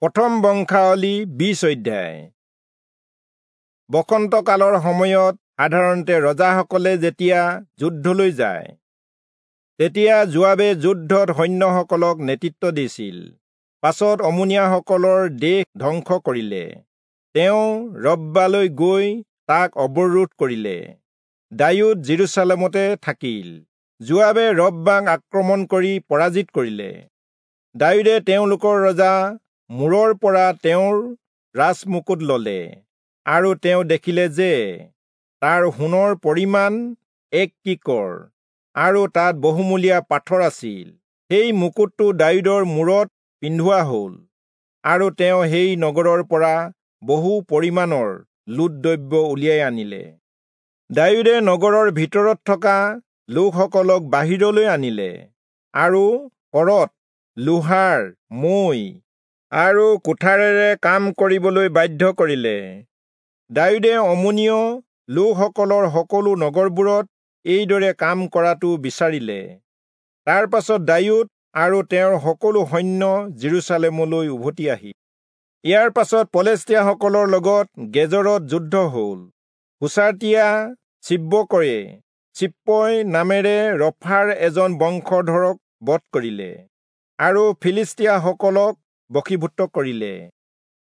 প্ৰথম বংশাৱলী 20 অধ্যায়। বসন্তকালৰ সময়ত সাধাৰণতে ৰজাসকলে যেতিয়া যুদ্ধলৈ যায়, তেতিয়া যোৱাবে যুদ্ধত সৈন্যসকলক নেতৃত্ব দিছিল। পাছত অমোনীয়াসকলৰ দেশ ধ্বংস কৰিলে। তেওঁ ৰব্বালৈ গৈ তাক অৱৰোধ কৰিলে। দায়ূদ যিৰূচালেমতে থাকিল। যোৱাবে ৰব্বাক আক্ৰমণ কৰি পৰাজিত কৰিলে। দায়ূদে তেওঁলোকৰ ৰজা মূৰৰ পৰা তেওঁৰ ৰাজমুকুট ললে, আৰু তেওঁ দেখিলে যে তাৰ সোণৰ পৰিমাণ 1 কিকৰ আৰু তাত বহুমূলীয়া পাথৰ আছিল। সেই মুকুটটো দায়ূদৰ মূৰত পিন্ধোৱা হ'ল, আৰু তেওঁ সেই নগৰৰ পৰা বহু পৰিমাণৰ লুট দ্ৰব্য উলিয়াই আনিলে। দায়ূদে নগৰৰ ভিতৰত থকা লোকসকলক বাহিৰলৈ আনিলে আৰু কৰত, লোহাৰ মৈ আৰু কুঠাৰেৰে কাম কৰিবলৈ বাধ্য কৰিলে। দায়ূদে অমোনীয় লোকসকলৰ সকলো নগৰবোৰত এইদৰে কাম কৰাটো বিচাৰিলে। তাৰ পাছত দায়ূদ আৰু তেওঁৰ সকলো সৈন্য যিৰূচালেমলৈ উভতি আহিল। ইয়াৰ পাছত পলেষ্টীয়াসকলৰ লগত গেজৰত যুদ্ধ হ'ল। হুচাতীয়া চিব্বকয়ে চিপ্পই নামেৰে ৰফাৰ এজন বংশধৰক বধ কৰিলে আৰু ফিলিষ্টীয়াসকলক বশীভূত কৰিলে।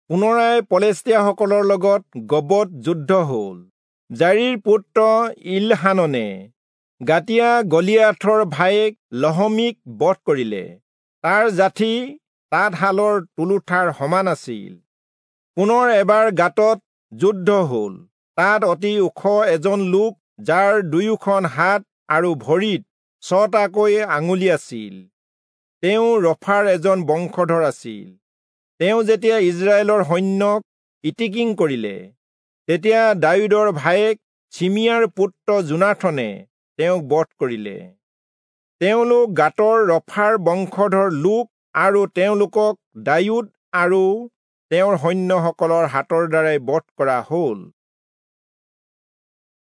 পুনৰাই পলেষ্টীয়াসকলৰ লগত গবত যুদ্ধ হ'ল। জাৰিৰ পুত্ৰ ইলহাননে গাতিয়া গলিয়াথৰ ভায়েক লহমীক বধ কৰিলে। তাৰ জাঠি তাঁতশালৰ তুলুঠাৰ সমান আছিল। পুনৰ এবাৰ গাতত যুদ্ধ হ'ল। তাত অতি ওখ এজন লোক, যাৰ দুয়োখন হাত আৰু ভৰিত 6টাকৈ আঙুলি আছিল, তেওঁ ৰফাৰ এজন বংশধৰ আছিল। তেওঁ যেতিয়া ইজৰাইলৰ সৈন্যক ইটিকিং কৰিলে, তেতিয়া দায়ূদৰ ভায়েক চিমিয়াৰ পুত্ৰ যোনাথনে তেওঁক বধ কৰিলে। তেওঁলোক গাতৰ ৰফাৰ বংশধৰ লোক আৰু তেওঁলোকক দায়ূদ আৰু তেওঁৰ সৈন্যসকলৰ হাতৰ দ্বাৰাই বধ কৰা হ'ল।